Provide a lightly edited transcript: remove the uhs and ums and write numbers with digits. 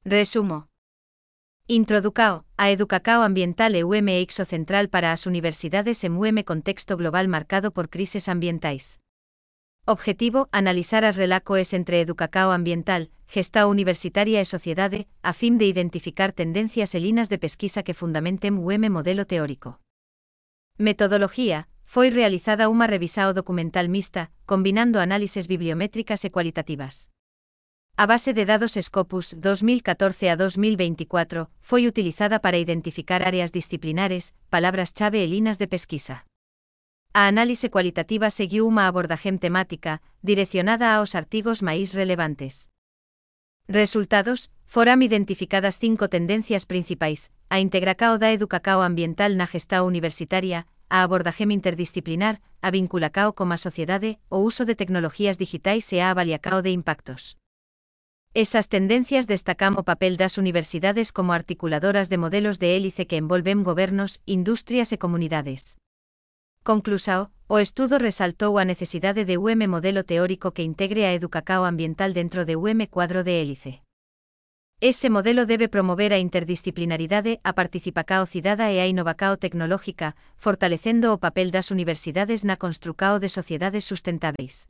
Resumo. Introducao, a Educacao ambiental e UM eixo central para as universidades en UM contexto global marcado por crises ambientais. Objetivo, analizar as relacoes entre Educacao ambiental, gestao universitaria e sociedade, a fin de identificar tendencias e linas de pesquisa que fundamenten UM modelo teórico. Metodoloxía, foi realizada unha revisao documental mixta, combinando análises bibliométricas e cualitativas. A base de dados Scopus 2014 a 2024 foi utilizada para identificar áreas disciplinares, palabras-chave e linas de pesquisa. A análise cualitativa seguiu unha abordaje temática, direccionada aos artigos máis relevantes. Resultados: foram identificadas 5 tendencias principais: a integracao da Educacao ambiental na gestao universitaria, a abordaje interdisciplinar, a vinculacao como a sociedade, o uso de tecnologías digitais e a avaliacao de impactos. Esas tendencias destacan o papel das universidades como articuladoras de modelos de hélice que envolven gobernos, industrias e comunidades. Conclusao, o estudo resaltou a necesidade de modelo teórico que integre a Educacao ambiental dentro de cuadro de hélice. Ese modelo debe promover a interdisciplinaridade, a participacao cidada e a innovacao tecnológica, fortalecendo o papel das universidades na construcao de sociedades sustentáveis.